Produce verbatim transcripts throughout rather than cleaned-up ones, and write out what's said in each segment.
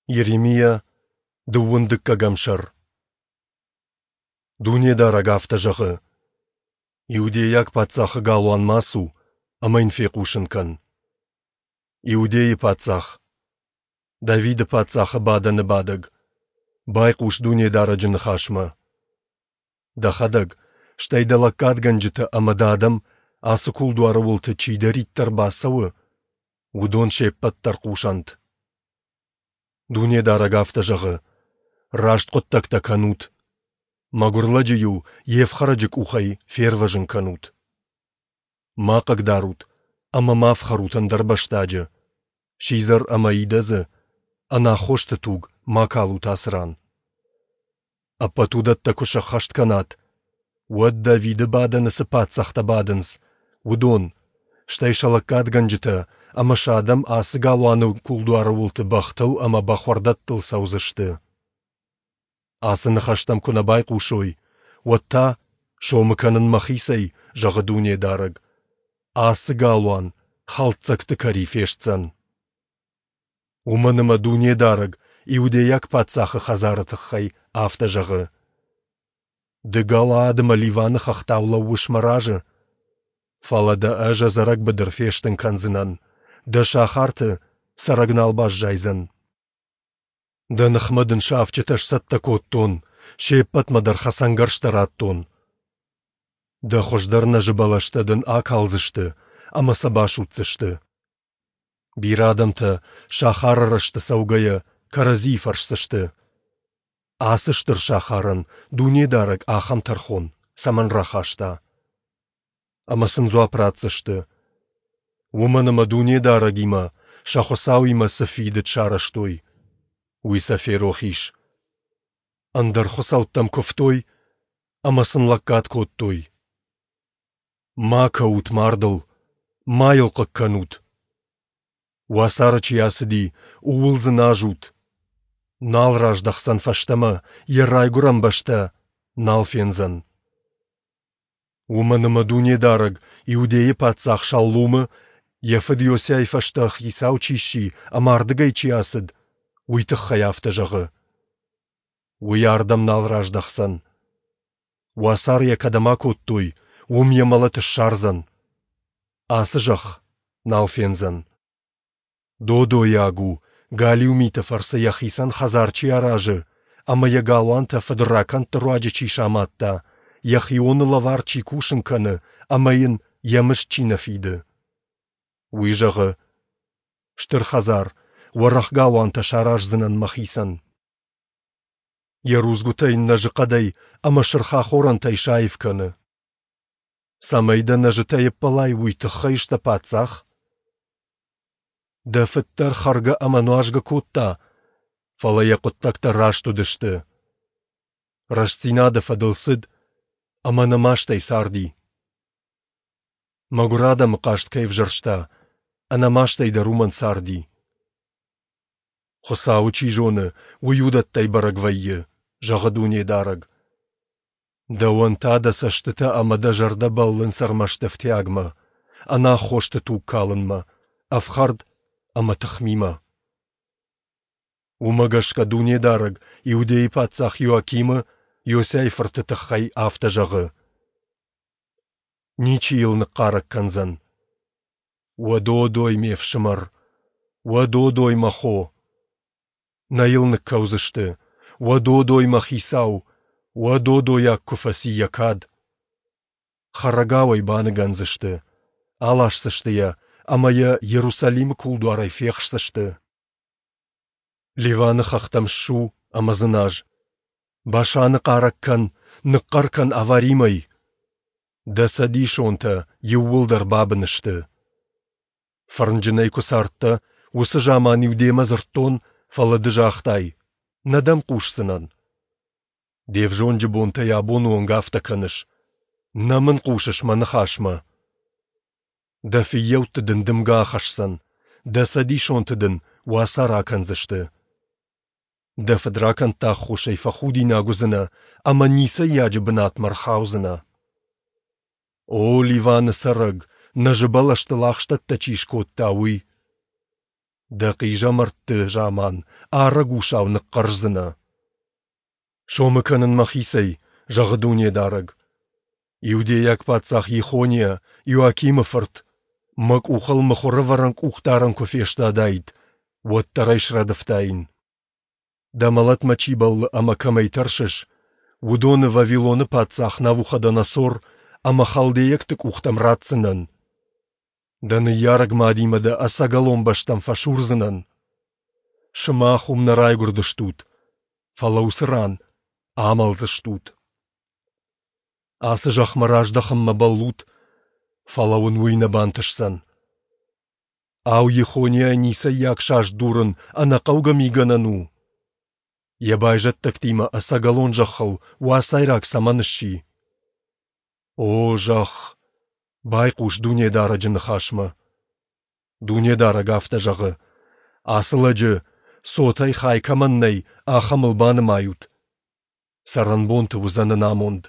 Йеремиа, дыууын дыккӕгӕм сӕр. Дунедарӕг афтӕ зӕгъы: Иудейаг паддзахы галуанмӕ ацу ӕмӕ йын фехъусын кӕн: Иудейы паддзах, Давиды паддзахы бадӕны бадӕг, байхъус Дунедарӕджы ныхасмӕ. Дӕхӕдӕг, стӕй дӕ лӕггадгӕнджытӕ ӕмӕ дӕ адӕм, ацы кулдуары уылты чидӕриддӕр бацӕуы, уыдон се ппӕт дӕр хъусӕнт. Дунедарӕг афтӕ зӕгъы: Раст хъуыддӕгтӕ кӕнут. Мӕгуыр лӕджы-иу йе фхӕрӕджы къухӕй фервӕзын кӕнут. Ма хъыгдарут ӕмӕ ма фхӕрут ӕндӕрбӕстаджы, сидзӕр ӕмӕ идӕдзы, ӕнаххосты туг ма калут ацы ран. Ӕппӕт уыдӕттӕ куы сӕххӕст кӕнат, уӕд Давиды бадӕны цы паддзӕхтӕ бадынц, уыдон, стӕй сӕ лӕггадгӕнджытӕ ӕмӕ сӕ адӕм ацы галуаны кулдуары уылты бӕхтыл ӕмӕ бӕхуӕрдӕттыл цӕудзысты. Ацы ныхӕстӕм куы нӕ байхъусой, уӕд та, сомы кӕнын мӕхицӕй, зӕгъы Дунедарӕг, ацы галуан хӕлддзӕгты кӕри фестдзӕн. Уымӕн ӕмӕ Дунедарӕг иудейаг паддзахы хӕдзары тыххӕй афтӕ зӕгъы: Ды Галаад ӕмӕ Ливаны хӕхтау лӕууыс мӕ разы, фӕлӕ дӕ ӕз ӕдзӕрӕг быдыр фестын кӕндзынӕн, дӕ сахарты цӕрӕг нал баззайдзӕн. Дӕ ныхмӕ дын сафджытӕ сцӕттӕ кодтон, се ппӕтмӕ дӕр хӕцӕнгӕрзтӕ радтон. Дӕ хуыздӕр нӕзы бӕлӕстӕ дын акалдзысты ӕмӕ сӕ басудздзысты. Бирӕ адӕмтӕ, сахары рӕзты цӕугӕйӕ, кӕрӕдзийы фӕрсдзысты: Ацы стыр сахарӕн Дунедарӕг ахӕм тӕрхон цӕмӕн рахаста? Ӕмӕ сын дзуапп ратдзысты: Уымӕн ӕмӕ Дунедарӕгимӕ, сӕ Хуыцауимӕ цы фидыд сарӕзтой, уый сӕ ферох ис. Ӕндӕр хуыцӕуттӕм куывтой ӕмӕ сын лӕггад кодтой. Ма кӕут мардыл, ма йыл хъыг кӕнут. Уацары чи ацыди, ууыл дзыназут. Нал раздӕхдзӕн фӕстӕмӕ, йӕ райгуырӕн бӕстӕ нал фендзӕн. Уымӕн ӕмӕ Дунедарӕг Иудейы паддзах Шаллумы, йӕ фыд Иосиайы фӕстӕ хицау чи сси ӕмӕ ардыгӕй чи ацыд, уый тыххӕй афтӕ зӕгъы: Уый ардӕм нал раздӕхдзӕн. Уацары йӕ кӕдӕм акодтой, уым йӕ мӕлӕт ссардзӕн. Ацы зӕхх нал фендзӕн. Додойаг у, галиу миты фӕрцы йӕхицӕн хӕдзар чи аразы ӕмӕ йӕ галуантӕ фыдракӕндты руаджы чи самадта, йӕхионы лӕвар чи кусын кӕны ӕмӕ йын йӕ мызд чи нӕ фиды. Уый зӕгъы: Стыр хӕдзар, уӕрӕх галуантӕ сараздзынӕн мӕхицӕн. Йӕ рудзгуытӕ йын нӕзыхъӕдӕй ӕмӕ сырх ахорӕнтӕй саив кӕны. Цӕмӕй дӕ нӕзытӕй ӕппӕлай, уый тыххӕй сдӕ паддзах? Дӕ фыд дӕр хӕргӕ ӕмӕ нуазгӕ кодта, фӕлӕ йӕ хъуыддӕгтӕ раст уыдысты. Рӕстдзинады фӕдыл цыд ӕмӕ ӕнӕмастӕй царди. Мӕгуыр адӕмы хъаст кӕй ӕвзӕрста, ӕнӕмастӕй дӕр уымӕн царди. Хуыцауы чи зоны, уый уыдӕттӕй бӕрӕг вӕййы, зӕгъы Дунедарӕг. Дӕуӕн та дӕ цӕстытӕ ӕмӕ дӕ зӕрдӕ бӕллынц ӕрмӕст ӕфтиагмӕ, ӕнаххосты туг калынмӕ, ӕфхӕрд ӕмӕ тыхмимӕ. Уымӕ гӕсгӕ Дунедарӕг Иудейы паддзах Иоакимы, Иосиайы фырты тыххӕй афтӕ зӕгъы: Ничи йыл ныхъхъарӕг кӕндзӕн. Уӕ додой, ме фсымӕр! Уӕ додой, мӕ хо! Нӕ йыл ныккӕудзысты. Уӕ додой, мӕ хицау! Уӕ додойаг куы фӕци йӕ кад! Хӕрӕгау ӕй баныгӕндзысты, аласдзысты йӕ ӕмӕ йӕ Иерусалимы кулдуарӕй фехсдзысты. Ливаны хӕхтӕм ссу ӕмӕ дзыназ. Башаны хъарӕг кӕн, ныхъхъӕр кӕн Аваримӕй. Дӕ цӕдисонтӕ иууылдӕр бабын сты. Фӕрнджынӕй куы цардтӕ, уыцы заман-иу демӕ дзырдтон, фӕлӕ ды загътай: Нӕ дӕм хъусдзынӕн. Де взонджы бонтӕй абоны онг афтӕ кӕныс. Нӕ мын хъусыс мӕ ныхасмӕ. Дӕ фыййӕутты дын дымгӕ ахӕсдзӕн, дӕ цӕдисонты дын уацары акӕндзысты. Дӕ фыдракӕндты аххосӕй фӕхудинаг уыдзынӕ ӕмӕ ницӕййаджы бынатмӕ рхаудзынӕ. О, Ливаны цӕрӕг, нӕзы бӕлӕстыл ахстӕттӕ чи скодта, уый! Дӕ хъизӕмӕртты заман арӕг усау ныхъхъӕрздзынӕ. Сомы кӕнын Мӕхицӕй, зӕгъы Дунедарӕг. Иудейаг паддзах Йехониа, Иоакимы фырт, мӕ къухыл мыхуырӕвӕрӕн къухдарӕн куы фестадаид, уӕддӕр ӕй срӕдывтаин. Дӕ мӕлӕтмӕ чи бӕллы ӕмӕ кӕмӕй тӕрсыс, уыдоны Вавилоны паддзах Навуходоносор ӕмӕ халдейӕгты къухтӕм ратдзынӕн. Дӕ ныййарӕг мадимӕ дӕ ӕцӕгӕлон бӕстӕм фӕсурдзынӕн. Сымах уым нӕ райгуырдыстут, фӕлӕ уыцы ран амӕлдзыстут. Ацы зӕхмӕ раздӕхынмӕ бӕллут, фӕлӕ уын уый нӕ бантысдзӕн. Ау, Йехониа ницӕййаг саст дурын ӕнӕхъӕугӕ мигӕнӕн у? Йӕ байзӕддӕгтимӕ ӕцӕгӕлон зӕххыл уацайраг цӕмӕн сси? О, зӕхх, байхъус Дунедарӕджы ныхасмӕ! Дунедарӕг афтӕ зӕгъы: Ацы лӕджы, цотӕй хай кӕмӕн нӕй, ахӕмыл банымайут. Цӕрӕнбонты уыдзӕн ӕнамонд.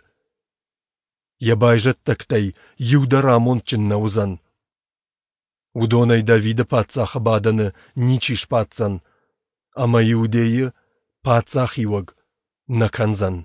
Йӕ байзӕддӕгтӕй иу дӕр амондджын нӕ уыдзӕн. Уыдонӕй Давиды паддзахы бадӕны ничи сбаддзӕн, ӕмӕ Иудейы паддзахиуӕг нӕ кӕндзӕн.